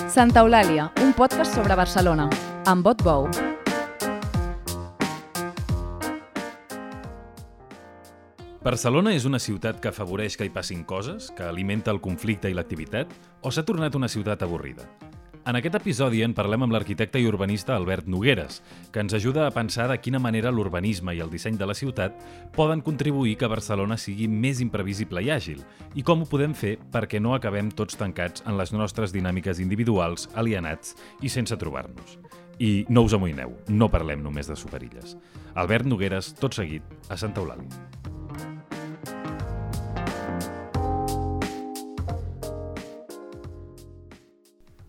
Santa Eulàlia, un podcast sobre Barcelona, amb Bot Bou. Barcelona és una ciutat que afavoreix que hi passin coses, que alimenta el conflicte i l'activitat, o s'ha tornat una ciutat avorrida? En aquest episodi en parlem amb l'arquitecte i urbanista Albert Nogueras, que ens ajuda a pensar de quina manera l'urbanisme i el disseny de la ciutat poden contribuir que Barcelona sigui més imprevisible i àgil, i com ho podem fer perquè no acabem tots tancats en les nostres dinàmiques individuals, alienats i sense trobar-nos. I no us amoïneu, no parlem només de superilles. Albert Nogueras, tot seguit, a Santa Eulàlia.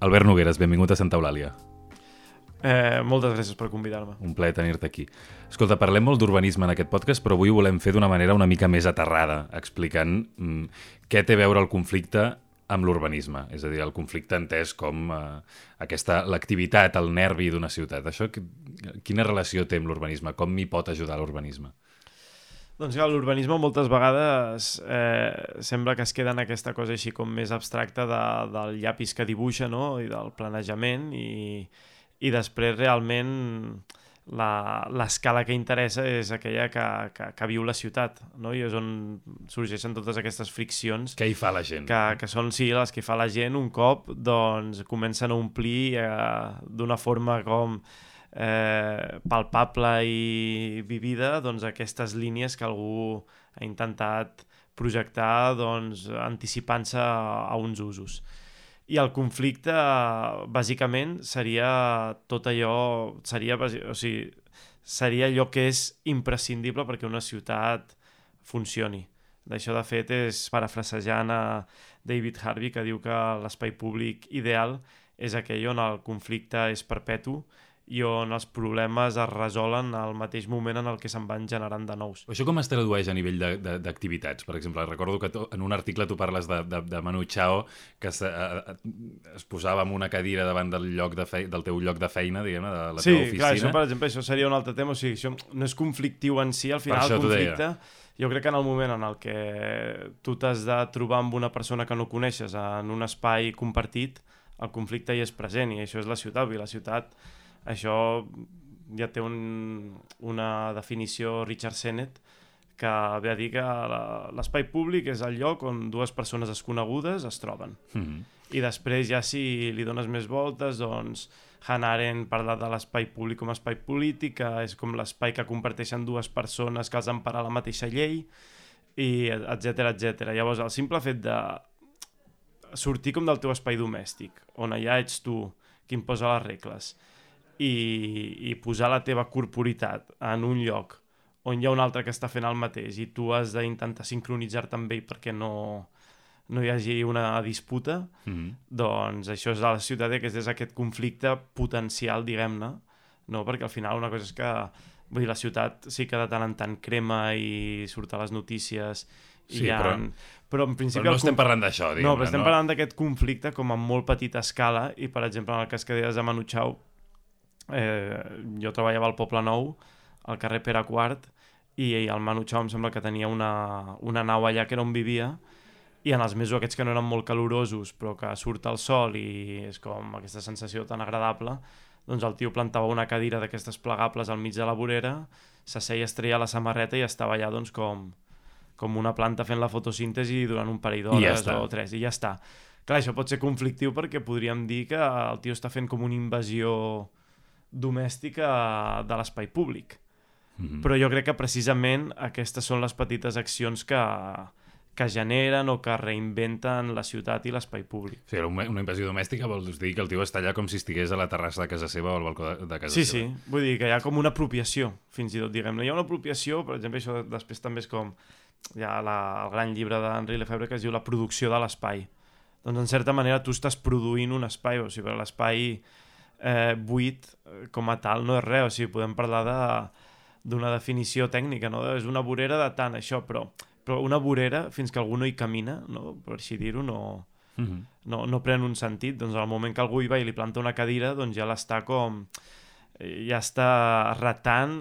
Albert Nogueras, benvingut a Santa Eulàlia. Moltes gràcies per convidar-me. Un plaer tenir-te aquí. Escolta, parlem molt d'urbanisme en aquest podcast, però avui ho volem fer d'una manera una mica més aterrada, explicant què té a veure el conflicte amb l'urbanisme. És a dir, el conflicte entès com l'activitat, el nervi d'una ciutat. Això, quina relació té amb l'urbanisme? Com m'hi pot ajudar l'urbanisme? Doncs clar, l'urbanisme moltes vegades sembla que es queda en aquesta cosa així com més abstracta del llapis que dibuixa, no? I del planejament i després realment l'escala que interessa és aquella que viu la ciutat, no? I és on sorgeixen totes aquestes friccions. Què hi fa la gent? Que són, sí, les que fa la gent un cop doncs, comencen a omplir d'una forma com palpable i vivida doncs, aquestes línies que algú ha intentat projectar doncs, anticipant-se a uns usos. I el conflicte, bàsicament, seria tot allò, seria allò que és imprescindible perquè una ciutat funcioni. D'això, de fet, és parafrasejant a David Harvey, que diu que l'espai públic ideal és aquell on el conflicte és perpetu i on els problemes es resolen al mateix moment en el que se'n van generant de nous. Això com es tradueix a nivell d'activitats? Per exemple, recordo que en un article tu parles de Manu Chao, que es posava en una cadira davant del teu lloc de feina, diguem-ne, de la teva oficina. Sí, clar, això, per exemple, això seria un altre tema. O sigui, això no és conflictiu en si, al final el conflicte... Jo crec que en el moment en el que tu t'has de trobar amb una persona que no coneixes en un espai compartit, el conflicte hi és present, i això és la ciutat. I la ciutat... Això ja té una definició Richard Sennett que ve a dir que l'espai públic és el lloc on dues persones desconegudes es troben. I després ja si li dones més voltes, doncs Hannah Arendt parla de l'espai públic com a espai polític, que és com l'espai que comparteixen dues persones que els empara la mateixa llei, i etcètera, etcètera. Llavors el simple fet de sortir com del teu espai domèstic, on allà ets tu qui imposa les regles, i posar la teva corporitat en un lloc on hi ha un altre que està fent el mateix i tu has d'intentar sincronitzar-te amb ell perquè no hi hagi una disputa, doncs això és a la ciutat, que és aquest conflicte potencial, diguem-ne, no? Perquè al final una cosa és que vull dir, la ciutat sí que de tant en tant crema i surt a les notícies, sí, però en principi no estem parlant d'això, diguem-ne. No, però estem parlant d'aquest conflicte com a molt petita escala, i per exemple en el cas que deies de Manu Chao, jo treballava al Poble Nou, al carrer Pere IV, i el Manu Chao em sembla que tenia una nau allà que era on vivia, i en els mesos aquests que no eren molt calorosos però que surt el sol i és com aquesta sensació tan agradable, doncs el tio plantava una cadira d'aquestes plegables al mig de la vorera, s'asseia, es treia la samarreta i estava allà doncs com una planta fent la fotosíntesi durant un parell d'hores o 3, i ja està. Clar, això pot ser conflictiu perquè podríem dir que el tio està fent com una invasió domèstica de l'espai públic. Però jo crec que precisament aquestes són les petites accions que generen o que reinventen la ciutat i l'espai públic. Sí, una invasió domèstica vol dir que el tio està allà com si estigués a la terrassa de casa seva o al balcó de casa seva. Sí, vull dir que hi ha com una apropiació, fins i tot, diguem-ne. Hi ha una apropiació, per exemple, això després també és com hi ha el gran llibre d'Henri Lefebvre que es diu La producció de l'espai. Doncs en certa manera tu estàs produint un espai, o sigui, l'espai buit com a tal no és res, o sigui, podem parlar d'una definició tècnica, no? És una vorera de tant això, però una vorera fins que algú no hi camina, no? Per així dir-ho, no pren un sentit. Doncs al moment que algú hi va i li planta una cadira, doncs ja l'està com ja està retant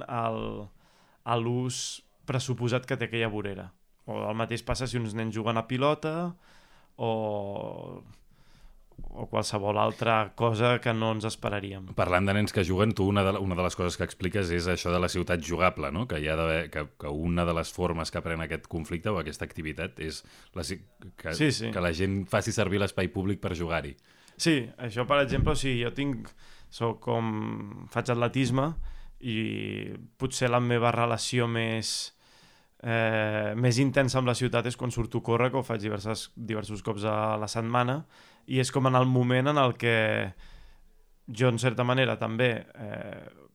l'ús pressuposat que té aquella vorera. O el mateix passa si uns nens juguen a pilota o o qualsevol altra cosa que no ens esperaríem. Parlant de nens que juguen, tu una de les coses que expliques és això de la ciutat jugable, no? Que hi ha d'haver, que una de les formes que pren aquest conflicte o aquesta activitat és que la gent faci servir l'espai públic per jugar-hi. Sí, això per exemple, jo faig atletisme i potser la meva relació més intensa amb la ciutat és quan surto a córrer, que ho faig diversos cops a la setmana, i és com en el moment en el que jo, en certa manera, també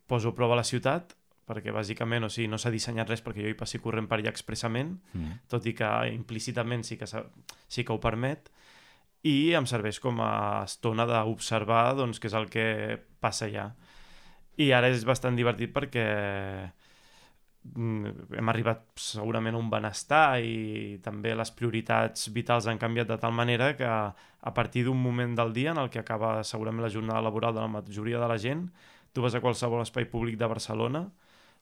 poso a prova la ciutat, perquè bàsicament no s'ha dissenyat res perquè jo hi passi corrent per allà expressament, tot i que implícitament sí que ho permet, i em serveix com a estona d'observar doncs, què és el que passa allà. I ara és bastant divertit perquè hem arribat segurament a un benestar i també les prioritats vitals han canviat de tal manera que a partir d'un moment del dia en el que acaba segurament la jornada laboral de la majoria de la gent, tu vas a qualsevol espai públic de Barcelona,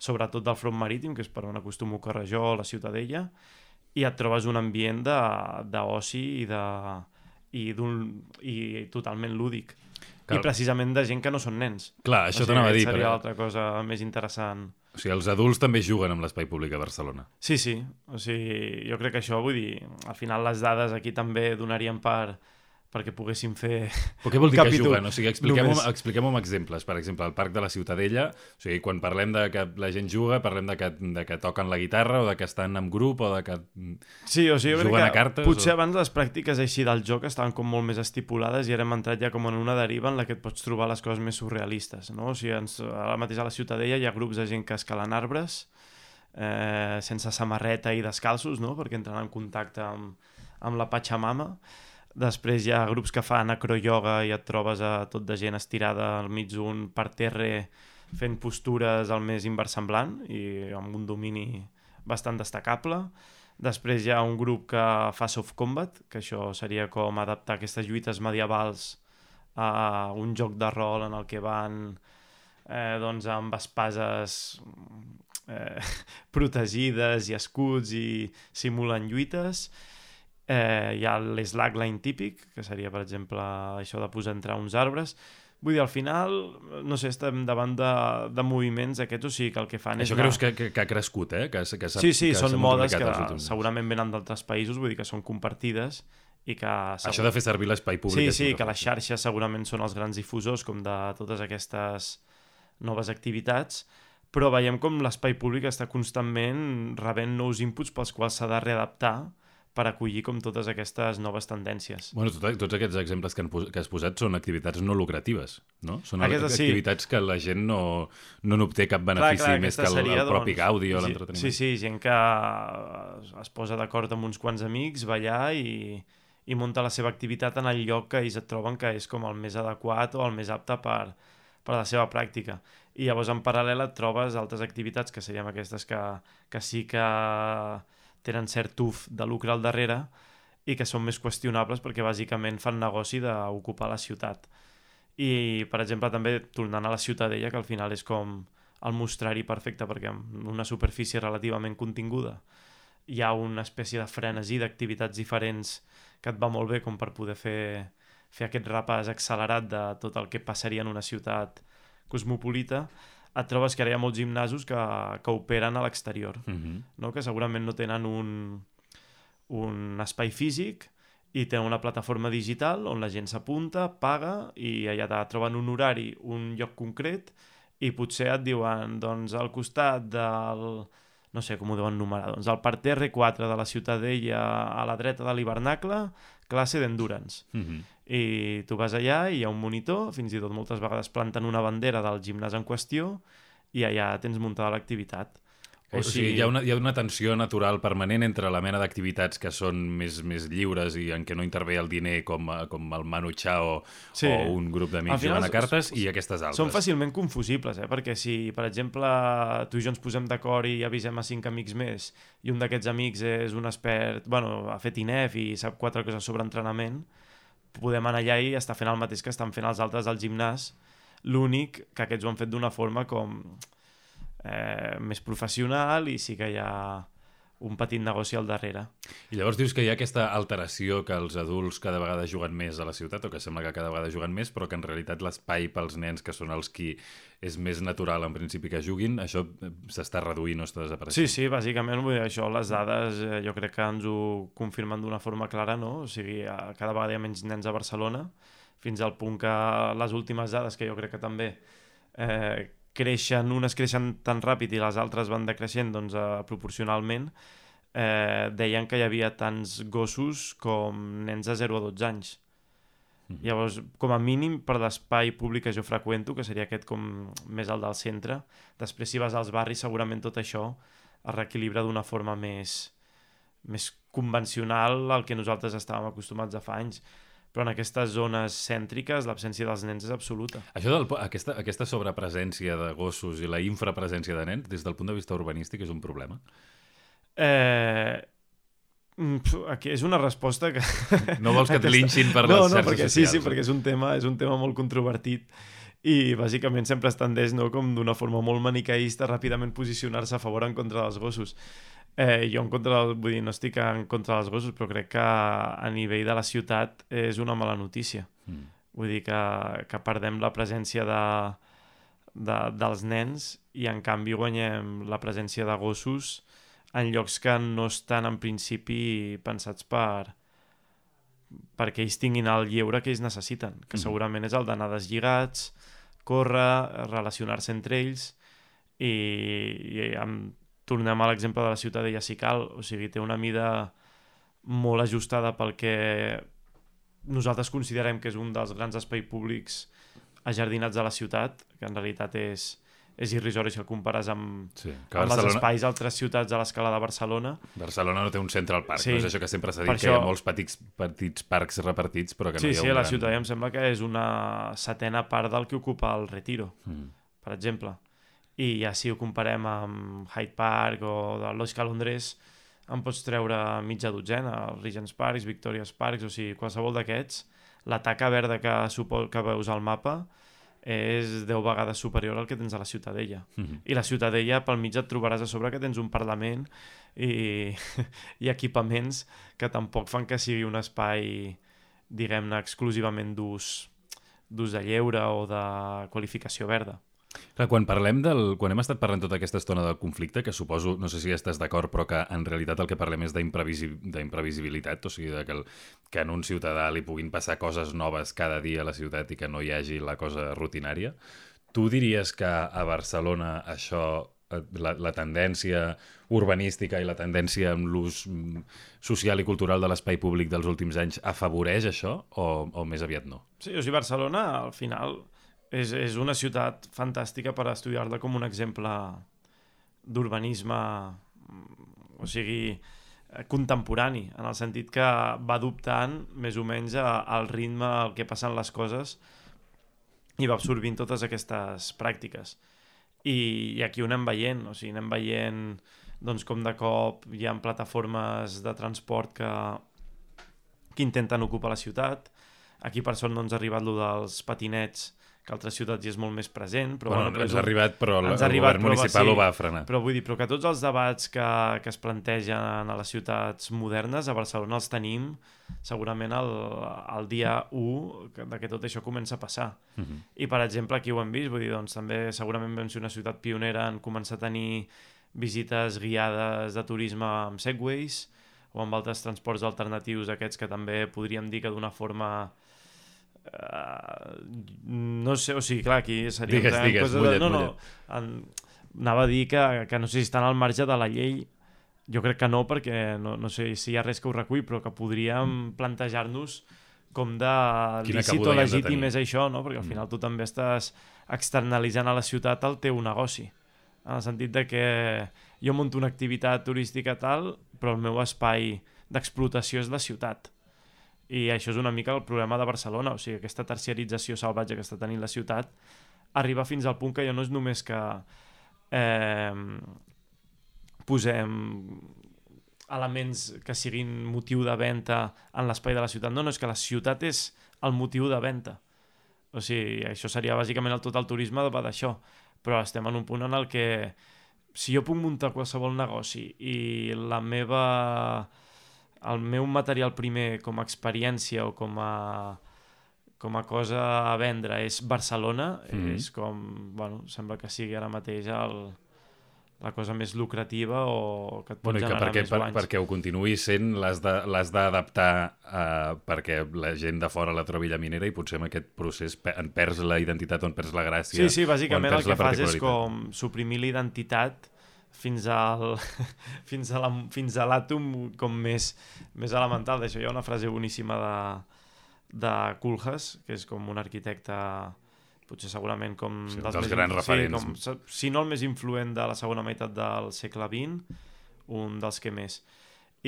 sobretot del front marítim, que és per on acostumo a córrer jo, la Ciutadella, i et trobes un ambient d'oci i totalment lúdic. I precisament de gent que no són nens. Clar, això t'anava a dir. Seria l'altra cosa més interessant. O sigui, els adults també juguen amb l'espai públic a Barcelona. Sí. O sigui, jo crec que això, vull dir, al final les dades aquí també donarien perquè poguéssim fer Però què vol dir capítol. Que juguen? O sigui, expliquem-ho amb exemples. Per exemple, al Parc de la Ciutadella, o sigui, quan parlem de que la gent juga, parlem de que toquen la guitarra o de que estan en grup o de que juguen a cartes. Potser abans les pràctiques així del joc estaven com molt més estipulades i ara hem entrat ja com en una deriva en la que et pots trobar les coses més surrealistes, no? O sigui, ara mateix a la Ciutadella hi ha grups de gent que escalen arbres sense samarreta i descalços, no? Perquè entren en contacte amb la Pachamama. Després hi ha grups que fan acroyoga i et trobes a tot de gent estirada al mig d'un parterre fent postures al més inversemblant i amb un domini bastant destacable. Després hi ha un grup que fa soft combat, que això seria com adaptar aquestes lluites medievals a un joc de rol en el que van doncs amb espases protegides i escuts i simulen lluites. Hi ha l'slackline típic, que seria, per exemple, això de posar entre uns arbres. Vull dir, al final, no sé, estem davant de moviments aquests, o sigui que el que fan és... Això creus que ha crescut, que sí, són modes que segurament venen d'altres països, vull dir que són compartides i que... Això de fer servir l'espai públic... Sí, que les xarxes segurament són els grans difusors com de totes aquestes noves activitats, però veiem com l'espai públic està constantment rebent nous inputs pels quals s'ha de readaptar per acollir com totes aquestes noves tendències. Bueno, tots aquests exemples que has posat són activitats no lucratives, no? Són activitats que la gent no n'obté cap benefici més que el propi gaudi o l'entreteniment. Sí, gent que es posa d'acord amb uns quants amics, ballar i munta la seva activitat en el lloc que ells et troben que és com el més adequat o el més apte per la seva pràctica. I llavors en paral·lel et trobes altres activitats que serien aquestes que sí que tenen cert tuf de lucre al darrere i que són més qüestionables perquè bàsicament fan negoci d'ocupar la ciutat. I, per exemple, també tornant a la Ciutadella, que al final és com el mostrar-hi perfecte perquè en una superfície relativament continguda hi ha una espècie de frenesí d'activitats diferents que et va molt bé com per poder fer aquest repàs accelerat de tot el que passaria en una ciutat cosmopolita. Et trobes que ara hi ha molts gimnasos que operen a l'exterior, no? Que segurament no tenen un espai físic i tenen una plataforma digital on la gent s'apunta, paga i allà troben un horari, un lloc concret i potser et diuen doncs al costat del... no sé com ho deuen numerar, doncs al parterre 4 de la Ciutadella a la dreta de l'hivernacle, classe d'endurance. I tu vas allà i hi ha un monitor, fins i tot moltes vegades planten una bandera del gimnàs en qüestió i allà tens muntada l'activitat. O sigui, hi ha una tensió natural permanent entre la mena d'activitats que són més lliures i en què no intervé el diner com el Manu Chao o un grup d'amics jugant a cartes i aquestes altres. Són fàcilment confusibles, perquè si, per exemple, tu i jo ens posem d'acord i avisem a 5 amics més i un d'aquests amics és un expert, ha fet INEF i sap 4 coses sobre entrenament, podem anar allà i estar fent el mateix que estan fent els altres al gimnàs. L'únic que aquests ho han fet d'una forma com més professional i sí que hi ha un petit negoci al darrere. I llavors dius que hi ha aquesta alteració que els adults cada vegada juguen més a la ciutat, o que sembla que cada vegada juguen més, però que en realitat l'espai pels nens, que són els qui és més natural en principi que juguin, això s'està reduint o està desapareixent. Sí, bàsicament vull dir, això, les dades jo crec que ens ho confirmen d'una forma clara, no? O sigui, cada vegada hi ha menys nens a Barcelona, fins al punt que les últimes dades, que jo crec que també unes creixen tan ràpid i les altres van decreixent doncs, proporcionalment, deien que hi havia tants gossos com nens de 0 a 12 anys. Llavors, com a mínim, per l'espai públic que jo freqüento, que seria aquest com més el del centre, després si vas als barris segurament tot això es reequilibra d'una forma més convencional al que nosaltres estàvem acostumats a fa anys. Però en aquestes zones cèntriques l'absència dels nens és absoluta. Això aquesta sobrepresència de gossos i la infrapresència de nens, des del punt de vista urbanístic, és un problema? Aquí és una resposta que... No vols que et linxin per les xarxes perquè, socials? Sí, perquè és un tema molt controvertit i bàsicament sempre es tendeix, no, com d'una forma molt maniqueista ràpidament posicionar-se a favor o en contra dels gossos. Jo no estic en contra dels gossos, però crec que a nivell de la ciutat és una mala notícia. Vull dir que perdem la presència dels nens i en canvi guanyem la presència de gossos en llocs que no estan en principi pensats perquè ells tinguin el lleure que ells necessiten, que segurament és el d'anar deslligats, córrer, relacionar-se entre ells i tornem a l'exemple de la Ciutadella si cal, o sigui, té una mida molt ajustada pel que nosaltres considerem que és un dels grans espais públics ajardinats de la ciutat, que en realitat és irrisori si el compares amb els espais d'altres ciutats a l'escala de Barcelona. Barcelona no té un Central Park, no és això que sempre s'ha dit, que hi ha molts petits parcs repartits, però que no hi ha un gran... Sí, la ciutat em sembla que és una setena part del que ocupa el Retiro, per exemple. I ja si ho comparem amb Hyde Park o de Lois Calondres, en pots treure mitja dotzena, els Regent's Parks, Victoria's Parks, o sigui, qualsevol d'aquests, la taca verda que veus al mapa és 10 vegades superior al que tens a la Ciutadella. I la Ciutadella, pel mig et trobaràs a sobre que tens un Parlament i equipaments que tampoc fan que sigui un espai, diguem-ne, exclusivament d'ús de lleure o de qualificació verda. Clar, quan hem estat parlant tota aquesta estona del conflicte, que suposo, no sé si estàs d'acord, però que en realitat el que parlem és d'imprevisibilitat, o sigui, que en un ciutadà li puguin passar coses noves cada dia a la ciutat i que no hi hagi la cosa rutinària. Tu diries que a Barcelona això, la tendència urbanística i la tendència amb l'ús social i cultural de l'espai públic dels últims anys afavoreix això o més aviat no? Sí, o sigui, Barcelona, al final... És una ciutat fantàstica per estudiar-la com un exemple d'urbanisme, o sigui, contemporani, en el sentit que va adoptant més o menys al ritme al que passen les coses i va absorbint totes aquestes pràctiques. I aquí ho anem veient, o sigui, anem veient doncs, com de cop hi ha plataformes de transport que intenten ocupar la ciutat. Aquí per sort no ens ha arribat lo dels patinets, que a altres ciutats hi és molt més present. Però, ens ha arribat, però el govern municipal ho va frenar. Però vull dir, que tots els debats que es plantegen a les ciutats modernes, a Barcelona els tenim segurament el dia 1 que tot això comença a passar. I, per exemple, aquí ho hem vist, vull dir, doncs també segurament vam ser una ciutat pionera en començar a tenir visites guiades de turisme amb segways o amb altres transports alternatius aquests que també podríem dir que d'una forma... no sé, o sigui, clar, aquí seria... Digues, mullet. Anava a dir que no sé si estan al marge de la llei, jo crec que no, perquè no sé si hi ha res que ho recull, però que podríem plantejar-nos com de lícit o legítim és això, no? Perquè al final tu també estàs externalitzant a la ciutat el teu negoci, en el sentit de que jo monto una activitat turística tal, però el meu espai d'explotació és la ciutat. I això és una mica el problema de Barcelona, o sigui, aquesta terciarització salvatge que està tenint la ciutat arriba fins al punt que ja no és només que posem elements que siguin motiu de venda en l'espai de la ciutat, no, és que la ciutat és el motiu de venda. O sigui, això seria bàsicament tot el turisme va d'això, però estem en un punt en el que si jo puc muntar qualsevol negoci i el meu material primer com a experiència o com a cosa a vendre és Barcelona, és com, bueno, sembla que sigui ara mateix la cosa més lucrativa o que et pot generar més guanys. Perquè ho continuï sent, l'has d'adaptar perquè la gent de fora la trobi llaminera i potser en aquest procés en perds la identitat o en perds la gràcia. Sí, bàsicament el que fas és com suprimir l'identitat fins a l'àtom com més elemental d'això. Hi ha una frase boníssima de Koolhaas, que és com un arquitecte potser segurament com dels grans referents. Si no el més influent de la segona meitat del segle XX, un dels que més.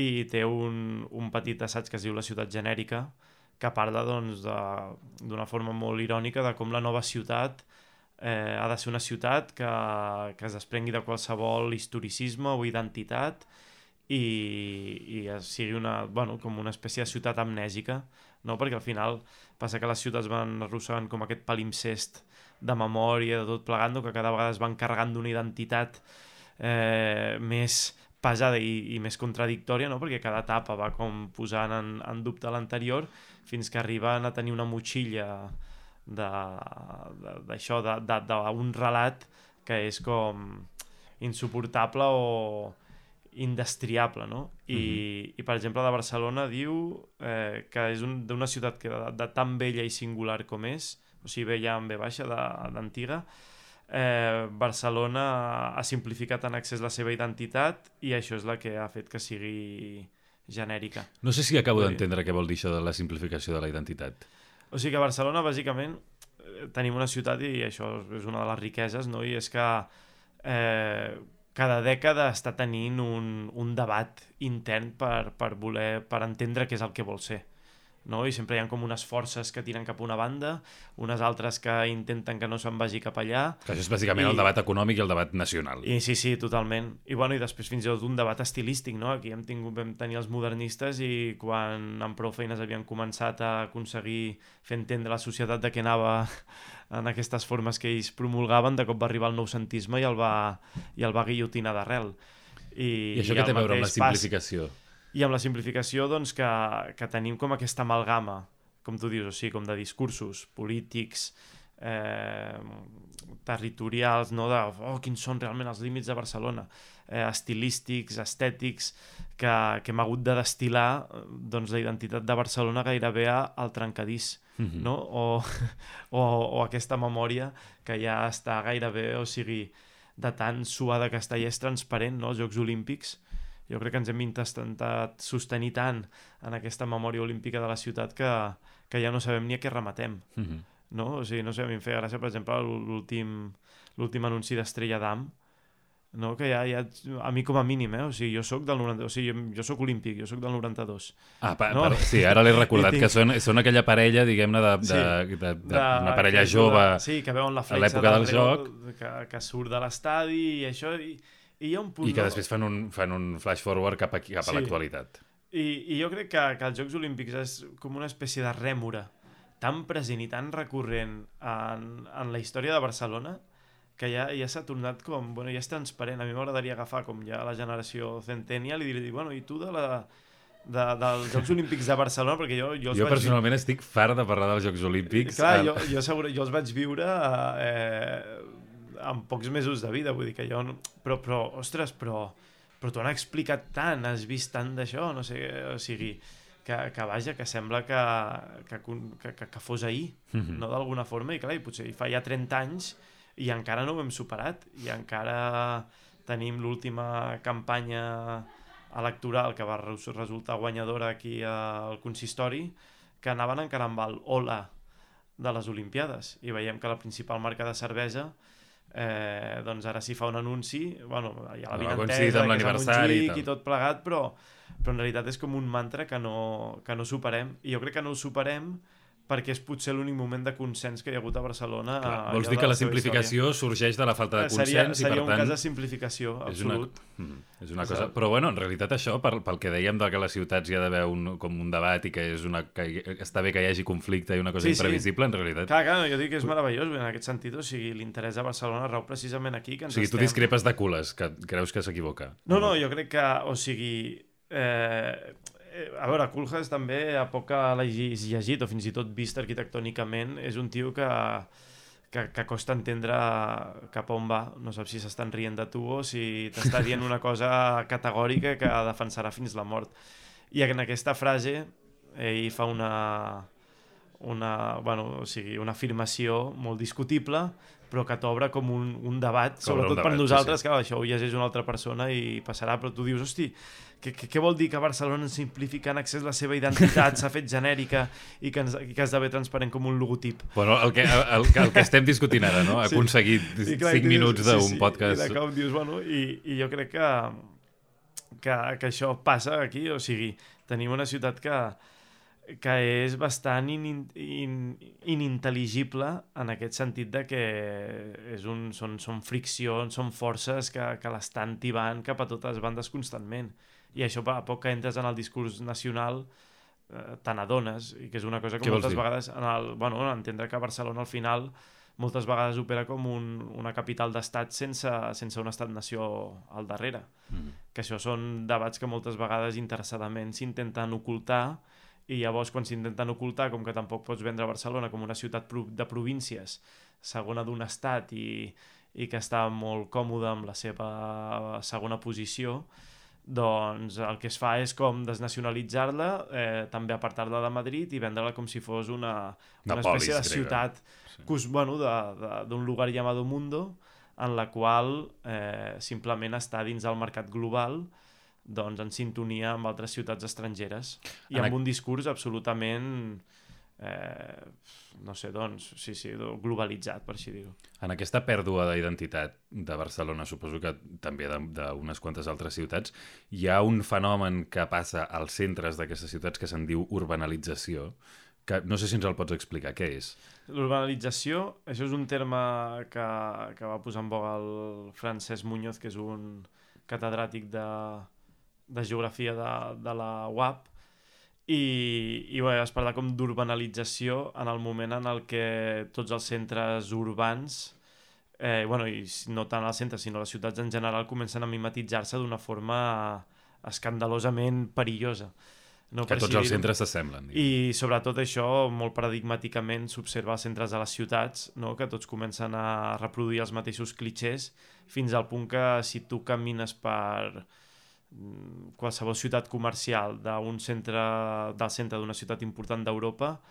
I té un petit assaig que es diu La ciutat genèrica, que parla d'una forma molt irònica de com la nova ciutat ha de ser una ciutat que es desprengui de qualsevol historicisme o identitat i sigui com una espècie de ciutat amnèsica, no? Perquè al final passa que les ciutats van arrossegant com aquest palimpsest de memòria, de tot plegant, que cada vegada es van carregant d'una identitat més pesada i més contradictòria, no? Perquè cada etapa va com posant en dubte l'anterior fins que arriben a tenir una motxilla d'això, d'un relat que és com insuportable o indestriable, no? I per exemple, de Barcelona diu que és d'una ciutat que de tan vella i singular com és, o sigui, vella amb V baixa, d'antiga, Barcelona ha simplificat en excés la seva identitat i això és la que ha fet que sigui genèrica. No sé si acabo d'entendre què vol dir això de la simplificació de la identitat. O sigui que a Barcelona, bàsicament, tenim una ciutat i això és una de les riqueses, no? I és que cada dècada està tenint un debat intern per entendre què és el que vol ser, no? I sempre hi ha com unes forces que tiren cap a una banda, unes altres que intenten que no se'n vagi cap allà. Que això és bàsicament el debat econòmic i el debat nacional. I sí, totalment. I després fins i tot un debat estilístic, no? Aquí vam tenir els modernistes i quan amb prou feines havien començat a aconseguir fer entendre a la societat de què anava en aquestes formes que ells promulgaven, de cop va arribar el noucentisme i el va guillotinar d'arrel. I això què té a veure amb la simplificació? I amb la simplificació, doncs, que tenim com aquesta amalgama, com tu dius, o sigui, com de discursos polítics, territorials, no? Quins són realment els límits de Barcelona, estilístics, estètics, que hem hagut de destil·lar doncs, la identitat de Barcelona gairebé al trencadís, no? O aquesta memòria que ja està gairebé, o sigui, de tan suada que està i és transparent, no? Els Jocs Olímpics, jo crec que ens hem intentat sostenir tant en aquesta memòria olímpica de la ciutat que ja no sabem ni a què rematem. No? O sigui, no sé, a mi em feia gràcia, per exemple, l'últim anunci d'Estrella Damm, no? Que ja, a mi com a mínim, o sigui, jo soc del 92, o sigui, jo soc olímpic, jo soc del 92. No? Sí, ara l'he recordat, que són aquella parella, diguem-ne, una parella jove que veuen la a l'època del joc. Que surt de l'estadi i això, i hi ha un punt... I que després fan un flash forward cap a l'actualitat. I jo crec que els Jocs Olímpics és com una espècie de rèmora tan present i tan recurrent en la història de Barcelona que ja s'ha tornat com... ja és transparent. A mi m'agradaria agafar com ja la generació Centennial i dir, i tu dels Jocs Olímpics de Barcelona, perquè jo personalment estic fart de parlar dels Jocs Olímpics. Clar, jo els vaig viure amb pocs mesos de vida, vull dir que jo... Però tu han explicat tant, has vist tant d'això, no sé, o sigui... Que vaja, que sembla que fos ahir, no, d'alguna forma, i clar, potser fa ja 30 anys i encara no ho hem superat, i encara tenim l'última campanya electoral que va resultar guanyadora aquí al consistori, que anaven encara amb el hola de les Olimpiades, i veiem que la principal marca de cervesa doncs ara s'hi fa un anunci, hi ha la vinentesa, que és a Montjuïc i tot plegat, però en realitat és com un mantra que no superem, i jo crec que no ho superem perquè és potser l'únic moment de consens que hi ha hagut a Barcelona. Vols dir que la simplificació sorgeix de la falta de consens seria i, per tant... un cas de simplificació, absolut. És una cosa... Però, bueno, en realitat això, pel que dèiem de que a les ciutats hi ha d'haver com un debat i que està bé que hi hagi conflicte i una cosa imprevisible, en realitat... Clar, jo dic que és meravellós en aquest sentit, o sigui, l'interès de Barcelona rau precisament aquí. Que ens tu discrepes de Cules, que creus que s'equivoca. No, jo crec que, o sigui... a veure, Koolhaas també, a poc que l'hagis llegit o fins i tot vist arquitectònicament, és un tio que costa entendre cap on va. No saps si s'estan rient de tu o si t'està dient una cosa categòrica que defensarà fins la mort. I en aquesta frase ell fa una afirmació molt discutible, però que t'obre com un debat, sobretot per nosaltres, que això ho llegeix una altra persona i passarà, però tu dius, hosti, què vol dir que Barcelona simplifica en accés la seva identitat, s'ha fet genèrica i que esdevé transparent com un logotip? Bueno, el que estem discutint ara, no? Ha aconseguit 5 minuts d'un podcast. I de cop dius, i jo crec que això passa aquí, o sigui, tenim una ciutat que és bastant inintel·ligible en aquest sentit de que són friccions, són forces que l'estan tibant cap a totes bandes constantment. I això, a poc que entres en el discurs nacional, te n'adones, i que és una cosa que moltes vegades, entendre que Barcelona al final moltes vegades opera com una capital d'estat sense un estat-nació al darrere. Que això són debats que moltes vegades interessadament s'intenten ocultar, i llavors quan s'intenten ocultar, com que tampoc pots vendre Barcelona com una ciutat de províncies, segona d'un estat i que està molt còmode amb la seva segona posició, doncs el que es fa és com desnacionalitzar-la, també apartar-la de Madrid i vendre-la com si fos una espècie de ciutat d'un lugar llamado Mundo, en la qual simplement està dins del mercat global, doncs en sintonia amb altres ciutats estrangeres i amb un discurs absolutament globalitzat, per així dir-ho. En aquesta pèrdua d'identitat de Barcelona, suposo que també d'unes quantes altres ciutats, hi ha un fenomen que passa als centres d'aquestes ciutats que se'n diu urbanalització, que no sé si ens el pots explicar. Què és? L'urbanalització, això és un terme que va posar en boga el Francesc Muñoz, que és un catedràtic de geografia de la UAP, i es parla com d'urbanalització en el moment en el que tots els centres urbans, i no tant els centres sinó les ciutats en general, comencen a mimetitzar-se d'una forma escandalosament perillosa. Que tots els centres s'assemblen. I sobretot això, molt paradigmàticament, s'observa als centres de les ciutats, que tots comencen a reproduir els mateixos clixés, fins al punt que si tu camines per qualsevol ciutat comercial del centre d'una ciutat important d'Europa,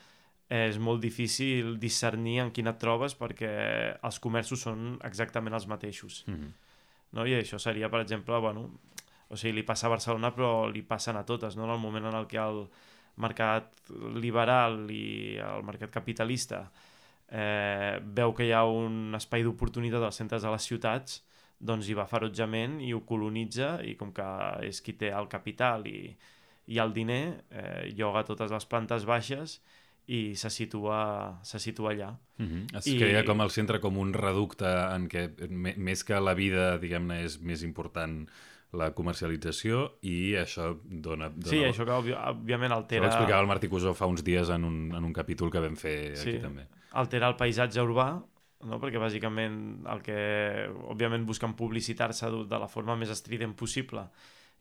és molt difícil discernir en quina et trobes perquè els comerços són exactament els mateixos. I això seria, per exemple, li passa a Barcelona però li passen a totes, en el moment en el que el mercat liberal i el mercat capitalista veu que hi ha un espai d'oportunitat als centres de les ciutats, doncs hi va ferotjament i ho colonitza, i com que és qui té el capital i el diner, lloga totes les plantes baixes i se situa allà. Es crea com el centre com un reducte en què més que la vida, diguem-ne, és més important la comercialització, i això dona... Sí, això que òbviament altera... Això ho explicava el Martí Cusó fa uns dies en un capítol que vam fer aquí també. Altera el paisatge urbà, perquè bàsicament el que òbviament busquen publicitar-se de la forma més estrident possible,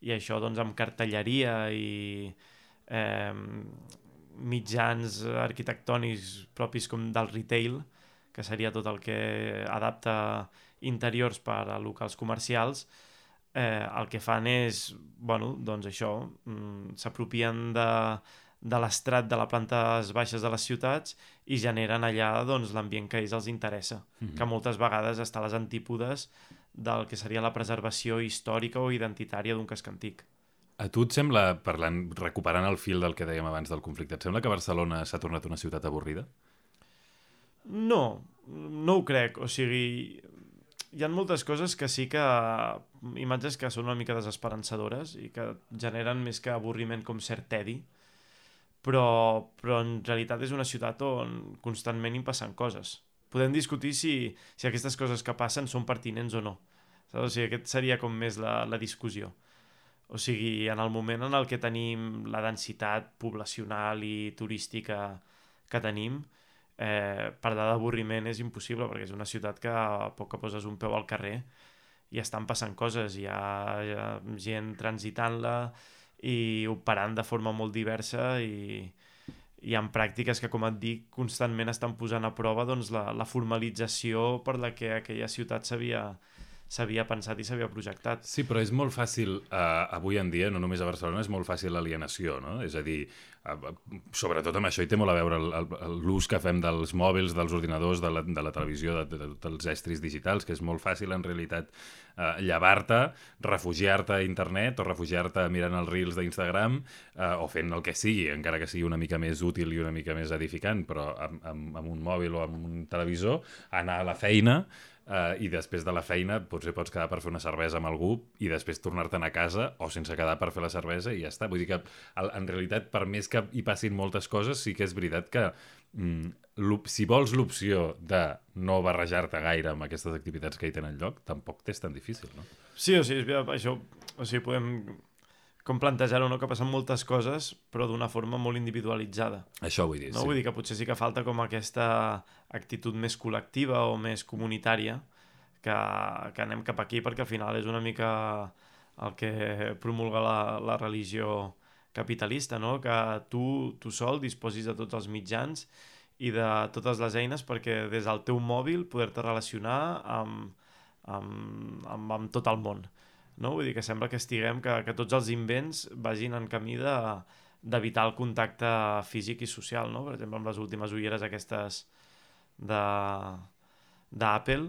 i això doncs amb cartelleria i mitjans arquitectònics propis com del retail, que seria tot el que adapta interiors per a locals comercials, el que fan és, doncs això, s'apropien de l'estrat de les plantes baixes de les ciutats i generen allà l'ambient que a ells els interessa, que moltes vegades està a les antípodes del que seria la preservació històrica o identitària d'un casc antic. A tu et sembla, recuperant el fil del que dèiem abans del conflicte, et sembla que Barcelona s'ha tornat una ciutat avorrida? No ho crec. O sigui, hi ha moltes coses que sí que... imatges que són una mica desesperançadores i que generen més que avorriment com cert tedi. però en realitat és una ciutat on constantment hi passen coses. Podem discutir si aquestes coses que passen són pertinents o no. O sigui, aquest seria com més la discussió. O sigui, en el moment en el que tenim la densitat poblacional i turística que tenim, parlar d'avorriment és impossible, perquè és una ciutat que a poc que poses un peu al carrer i estan passant coses, hi ha gent transitant-la i operant de forma molt diversa i hi ha pràctiques que, com et dic, constantment estan posant a prova doncs, la formalització per la que aquella ciutat s'havia pensat i s'havia projectat. Sí, però és molt fàcil, avui en dia, no només a Barcelona, és molt fàcil l'alienació, no? És a dir, sobretot amb això hi té molt a veure l'ús que fem dels mòbils, dels ordinadors, de la televisió, dels estris digitals, que és molt fàcil, en realitat, llevar-te, refugiar-te a internet o refugiar-te mirant els reels d'Instagram o fent el que sigui, encara que sigui una mica més útil i una mica més edificant, però amb un mòbil o amb un televisor, anar a la feina i després de la feina potser pots quedar per fer una cervesa amb algú i després tornar-te'n a casa o sense quedar per fer la cervesa i ja està. Vull dir que en realitat, per més que hi passin moltes coses, sí que és veritat que si vols l'opció de no barrejar-te gaire amb aquestes activitats que hi tenen lloc, tampoc t'és tan difícil, no? Sí, o sigui, això, o sigui, podem com plantejar-ho, no? Que passen moltes coses, però d'una forma molt individualitzada. Això vull dir, no? Sí. Vull dir que potser sí que falta com aquesta actitud més col·lectiva o més comunitària, que anem cap aquí, perquè al final és una mica el que promulga la religió capitalista, no? Que tu sol disposis de tots els mitjans i de totes les eines perquè des del teu mòbil poder-te relacionar amb tot el món. No? Vull dir que sembla que estiguem, que tots els invents vagin en camí d'evitar el contacte físic i social, no? Per exemple, amb les últimes ulleres aquestes d'Apple,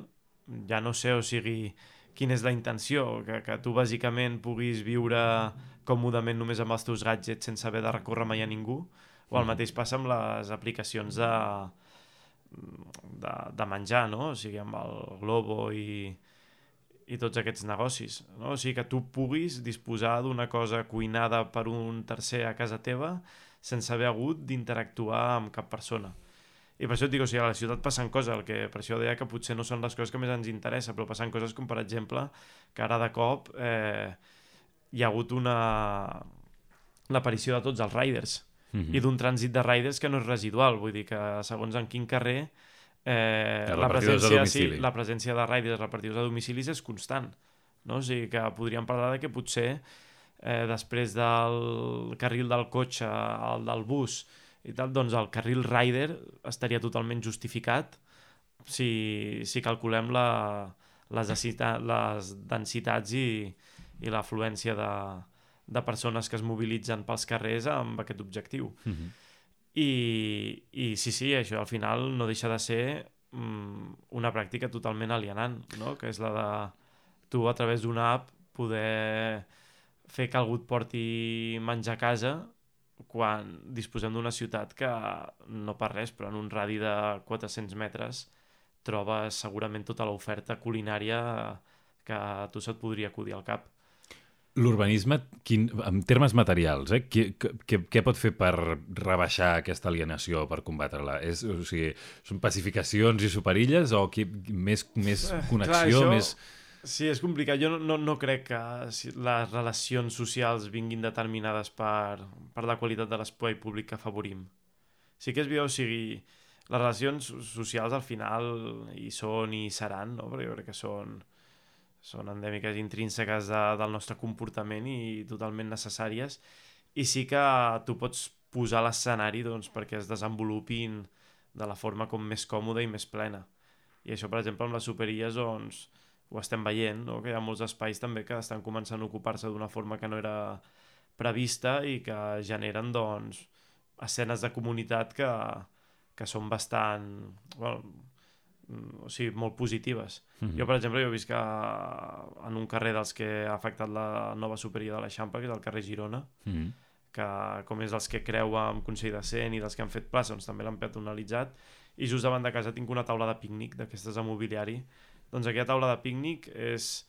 ja no sé, o sigui, quina és la intenció, que tu bàsicament puguis viure còmodament només amb els teus gadgets sense haver de recórrer mai a ningú, o el mateix passa amb les aplicacions de menjar, no? O sigui, amb el Globo i tots aquests negocis, no? O sigui, que tu puguis disposar d'una cosa cuinada per un tercer a casa teva sense haver hagut d'interactuar amb cap persona. I per això et dic, o sigui, a la ciutat passen coses, per això deia que potser no són les coses que més ens interessa, però passen coses com, per exemple, que ara de cop hi ha hagut l'aparició de tots els riders i d'un trànsit de riders que no és residual, vull dir que segons en quin carrer la presència de riders repartidors a domicilis és constant, no? O sigui que podríem parlar de que potser després del carril del cotxe, el del bus i tal, doncs el carril rider estaria totalment justificat si calculem les densitats i l'afluència de persones que es mobilitzen pels carrers amb aquest objectiu. I sí, això al final no deixa de ser una pràctica totalment alienant, no? Que és la de tu a través d'una app poder fer que algú et porti menjar a casa quan disposem d'una ciutat que no per res, però en un radi de 400 metres trobes segurament tota l'oferta culinària que a tu se't podria acudir al cap. L'urbanisme, en termes materials, què pot fer per rebaixar aquesta alienació, per combatre-la? O sigui, són pacificacions i superilles o més connexió? Clar, sí, és complicat. Jo no crec que les relacions socials vinguin determinades per la qualitat de l'espai públic que afavorim. Sí que és veritat, o sigui, les relacions socials al final hi són i seran, no? Perquè jo crec que són endèmiques intrínseques del nostre comportament i totalment necessàries, i sí que tu pots posar l'escenari doncs, perquè es desenvolupin de la forma com més còmoda i més plena. I això, per exemple, amb les superilles doncs, ho estem veient, no? Que hi ha molts espais també que estan començant a ocupar-se d'una forma que no era prevista i que generen doncs, escenes de comunitat que són bastant... o sigui, molt positives. Jo, per exemple, he vist que en un carrer dels que ha afectat la nova superilla de l'Eixample, que és el carrer Girona, que com és dels que creua amb Consell de Cent i dels que han fet plaça, doncs també l'han peatonalitzat, i just davant de casa tinc una taula de pícnic d'aquestes de mobiliari. Doncs aquella taula de pícnic és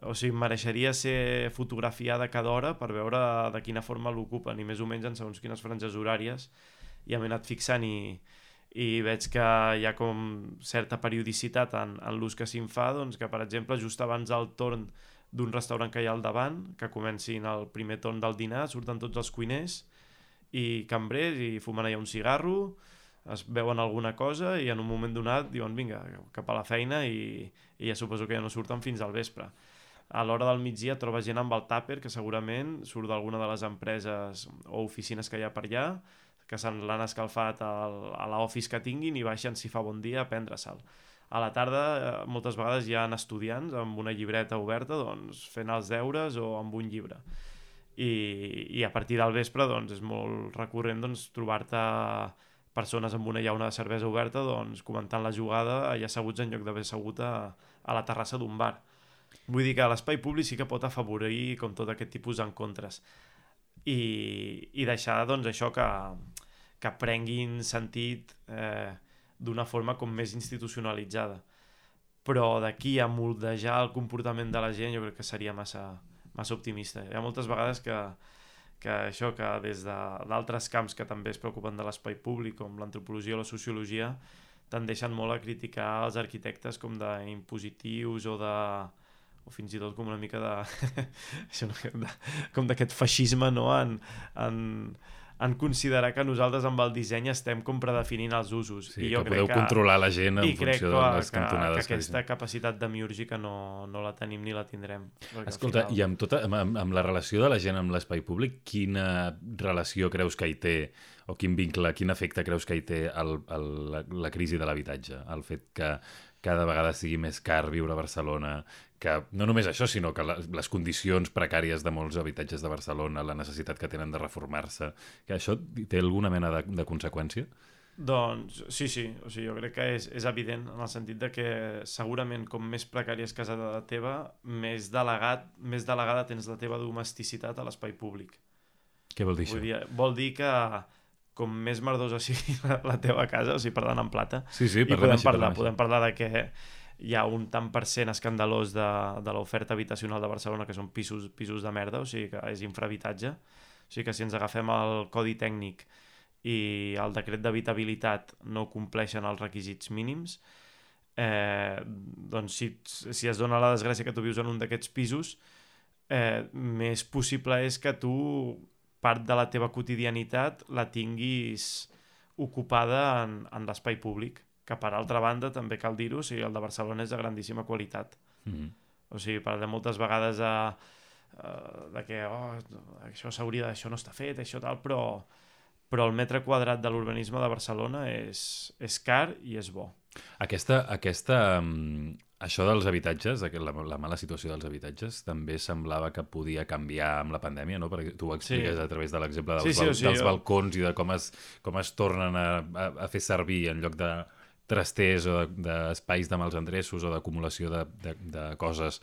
O sigui, mereixeria ser fotografiada cada hora per veure de quina forma l'ocupen, i més o menys en segons quines franges horàries ja m'he anat fixant i veig que hi ha com certa periodicitat en l'ús que se'n fa, doncs que per exemple just abans del torn d'un restaurant que hi ha al davant, que comencin el primer torn del dinar, surten tots els cuiners i cambrers i fumen allà un cigarro, es veuen alguna cosa i en un moment donat diuen vinga, cap a la feina, i ja suposo que ja no surten fins al vespre. A l'hora del migdia trobes gent amb el tàper que segurament surt d'alguna de les empreses o oficines que hi ha per allà, que se'n l'han escalfat a l'office que tinguin i baixen si fa bon dia a prendre-se'l. A la tarda moltes vegades hi ha estudiants amb una llibreta oberta, doncs, fent els deures o amb un llibre. I a partir del vespre doncs, és molt recurrent doncs, trobar-te persones amb una llauna de cervesa oberta doncs, comentant la jugada allà asseguts en lloc d'haver assegut a la terrassa d'un bar. Vull dir que l'espai públic sí que pot afavorir com tot aquest tipus d'encontres i deixar doncs, això que prenguin sentit d'una forma com més institucionalitzada. Però d'aquí a moldejar el comportament de la gent jo crec que seria massa optimista. Hi ha moltes vegades que això, que des d'altres camps que també es preocupen de l'espai públic, com l'antropologia o la sociologia, tendeixen molt a criticar els arquitectes com d'impositius o fins i tot com una mica com d'aquest feixisme, no? En considerar que nosaltres amb el disseny estem com predefinint els usos. Sí, i jo que podeu controlar la gent en funció de les cantonades. I crec que aquesta capacitat demiúrgica no la tenim ni la tindrem. Escolta, i amb la relació de la gent amb l'espai públic, quina relació creus que hi té, o quin vincle, quin efecte creus que hi té la crisi de l'habitatge? El fet que cada vegada sigui més car viure a Barcelona, que no només això, sinó que les condicions precàries de molts habitatges de Barcelona, la necessitat que tenen de reformar-se, que això té alguna mena de conseqüència? Doncs sí, o sigui, jo crec que és evident en el sentit de que segurament com més precària és casa teva, més delegada tens la teva domesticitat a l'espai públic. Què vol dir això? Vol dir que com més merdosa sigui la teva casa, o sigui, parlant en plata, sí, podem parlar de que hi ha un tant per cent escandalós de l'oferta habitacional de Barcelona que són pisos de merda, o sigui que és infrahabitatge. O sigui que si ens agafem el codi tècnic i el decret d'habitabilitat no compleixen els requisits mínims, doncs si es dona la desgràcia que tu vius en un d'aquests pisos, més possible és que tu part de la teva quotidianitat la tinguis ocupada en l'espai públic, que per altra banda també cal dir-ho, o sigui, el de Barcelona és de grandíssima qualitat. O sigui, parlem moltes vegades de que això no està fet, això tal, però el metre quadrat de l'urbanisme de Barcelona és car i és bo. Això dels habitatges, la mala situació dels habitatges, també semblava que podia canviar amb la pandèmia, no? Perquè tu ho expliques a través de l'exemple dels balcons i de com es tornen a fer servir en lloc de trasters o d'espais de mals endreços o d'acumulació de coses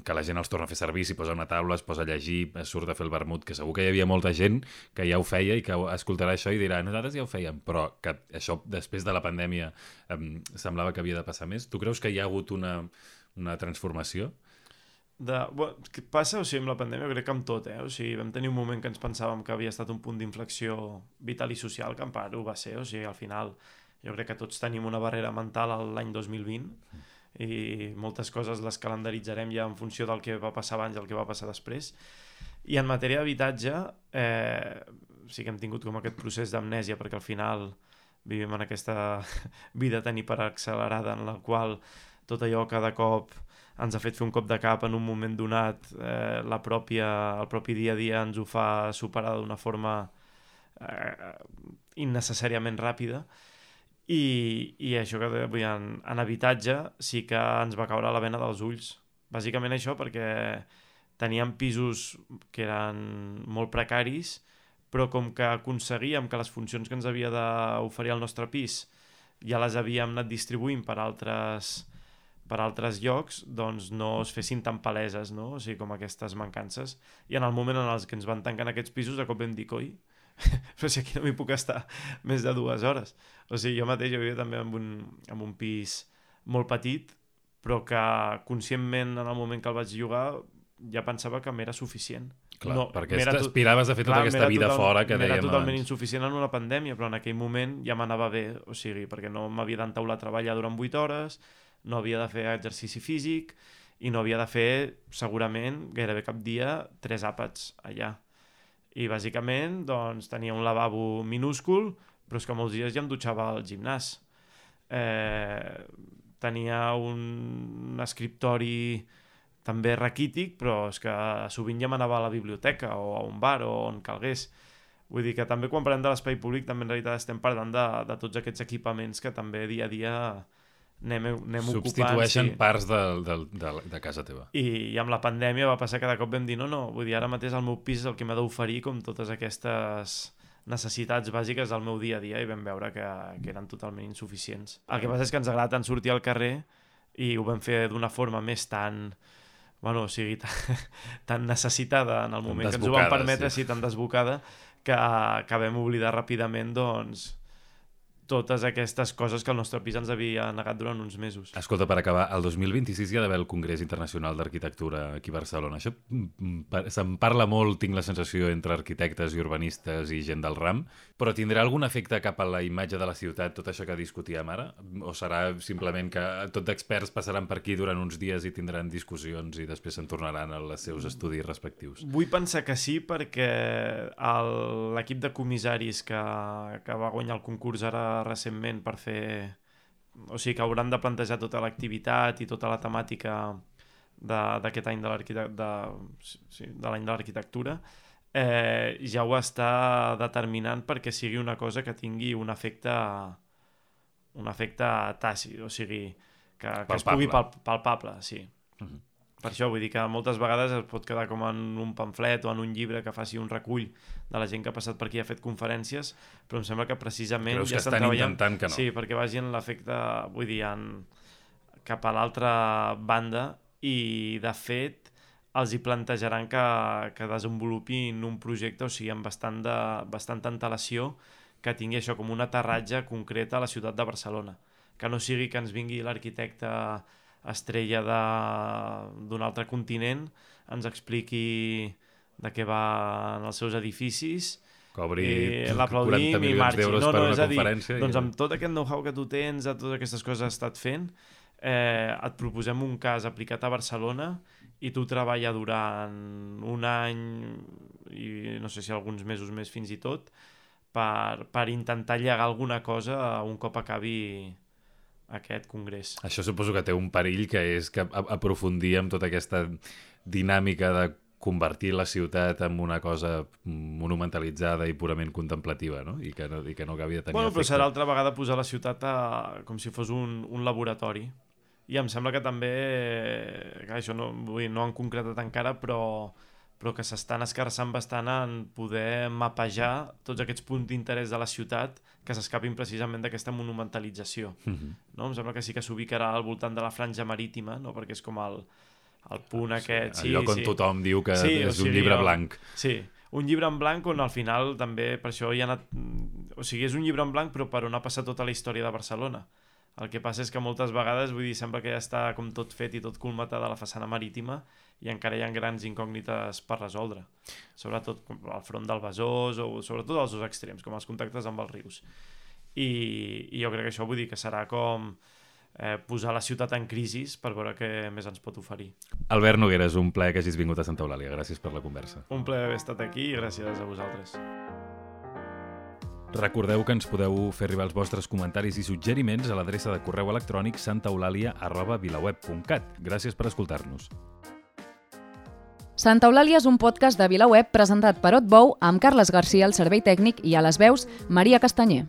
que la gent els torna a fer servir, s'hi posa una taula, es posa a llegir, es surt a fer el vermut, que segur que hi havia molta gent que ja ho feia i que escoltarà això i dirà nosaltres ja ho fèiem, però que això després de la pandèmia semblava que havia de passar més. Tu creus que hi ha hagut una transformació? Què passa? O sigui, amb la pandèmia crec que amb tot, o sigui, vam tenir un moment que ens pensàvem que havia estat un punt d'inflexió vital i social, que en part ho va ser, o sigui, al final jo crec que tots tenim una barrera mental l'any 2020 i moltes coses les calendaritzarem ja en funció del que va passar abans i el que va passar després. I en matèria d'habitatge sí que hem tingut com aquest procés d'amnèsia, perquè al final vivim en aquesta vida tan hiperaccelerada en la qual tot allò cada cop ens ha fet fer un cop de cap en un moment donat, el propi dia a dia ens ho fa superar d'una forma innecessàriament ràpida. I això que en habitatge sí que ens va caure la bena dels ulls. Bàsicament això perquè teníem pisos que eren molt precaris, però com que aconseguíem que les funcions que ens havia d'oferir el nostre pis ja les havíem anat distribuint per altres llocs, doncs no es fessin tan paleses, no? O sigui, com aquestes mancances. I en el moment en els que ens van tancar aquests pisos, de cop vam dir, coi, però si aquí no m'hi puc estar més de 2 hores. O sigui, jo mateix vivia també en un pis molt petit, però que conscientment en el moment que el vaig llogar ja pensava que m'era suficient. Clar, perquè t'aspiraves a fer tota aquesta vida fora que dèiem abans. M'era totalment insuficient en una pandèmia, però en aquell moment ja m'anava bé, o sigui, perquè no m'havia d'entaular a treballar durant 8 hores, no havia de fer exercici físic i no havia de fer, segurament, gairebé cap dia, 3 àpats allà. I bàsicament doncs, tenia un lavabo minúscul, però és que molts dies ja em dutxava al gimnàs. Tenia un escriptori també raquític, però és que sovint ja m'anava a la biblioteca o a un bar o on calgués. Vull dir que també quan parlem de l'espai públic també en realitat estem parlant de tots aquests equipaments que també dia a dia anem ocupant. Substitueixen parts de casa teva. I amb la pandèmia va passar que de cop vam dir no, vull dir, ara mateix el meu pis és el que m'ha d'oferir com totes aquestes necessitats bàsiques del meu dia a dia i vam veure que eren totalment insuficients. El que passa és que ens agrada tant sortir al carrer i ho vam fer d'una forma més tan necessitada en el moment que ens ho van permetre, sí, tan desbocada, que vam oblidar ràpidament, doncs, totes aquestes coses que el nostre pis ens havia negat durant uns mesos. Escolta, per acabar, el 2026 hi ha d'haver el Congrés Internacional d'Arquitectura aquí a Barcelona. Això se'n parla molt, tinc la sensació, entre arquitectes i urbanistes i gent del ram, però tindrà algun efecte cap a la imatge de la ciutat, tot això que discutíem ara? O serà simplement que tots d'experts passaran per aquí durant uns dies i tindran discussions i després se'n tornaran als seus estudis respectius? Vull pensar que sí, perquè l'equip de comissaris que va guanyar el concurs ara recentment per fer... O sigui, que hauran de plantejar tota l'activitat i tota la temàtica d'aquest any de l'any de l'arquitectura, ja ho està determinant perquè sigui una cosa que tingui un efecte tàcit, o sigui, que es pugui palpable, sí. Per això vull dir que moltes vegades es pot quedar com en un pamflet o en un llibre que faci un recull de la gent que ha passat per aquí i ha fet conferències, però em sembla que precisament creus ja que estan intentant que no? Sí, perquè vagi en l'efecte, vull dir, cap a l'altra banda i, de fet, els hi plantejaran que desenvolupin un projecte, o sigui, amb bastanta antelació, que tingui això com un aterratge concret a la ciutat de Barcelona. Que no sigui que ens vingui l'arquitecte estrella d'un altre continent, ens expliqui de què van els seus edificis, cobri 40 milions d'euros per una conferència. Doncs amb tot aquest know-how que tu tens, a totes aquestes coses que has estat fent, et proposem un cas aplicat a Barcelona i tu treballa durant un any i no sé si alguns mesos més fins i tot per intentar llegar alguna cosa un cop acabi aquest congrés. Això suposo que té un perill, que és que aprofundir amb tota aquesta dinàmica de convertir la ciutat en una cosa monumentalitzada i purament contemplativa, no? I que no acabi de tenir efecte. Però serà altra vegada posar la ciutat com si fos un laboratori. I em sembla que també, això no han concretat encara, però que s'estan escarçant bastant en poder mapejar tots aquests punts d'interès de la ciutat que s'escapin precisament d'aquesta monumentalització. No? Em sembla que sí que s'ubicarà al voltant de la franja marítima, no? Perquè és com el punt aquest... El lloc on tothom diu que és un llibre blanc. Sí, un llibre en blanc on al final també per això hi ha anat... O sigui, és un llibre en blanc però per on ha passat tota la història de Barcelona. El que passa és que moltes vegades, vull dir, sembla que ja està com tot fet i tot colmatat a la façana marítima i encara hi ha grans incògnites per resoldre. Sobretot al front del Besòs o sobretot als dos extrems, com els contactes amb els rius. I jo crec que això vull dir que serà com posar la ciutat en crisi per veure què més ens pot oferir. Albert Noguera, és un plaer que hagis vingut a Santa Eulàlia. Gràcies per la conversa. Un plaer haver estat aquí i gràcies a vosaltres. Recordeu que ens podeu fer arribar els vostres comentaris i suggeriments a l'adreça de correu electrònic santaeulalia@vilaweb.cat. Gràcies per escoltar-nos. Santa Eulàlia és un podcast de VilaWeb presentat per Otbou amb Carles Garcia al servei tècnic i a les veus Maria Castanyer.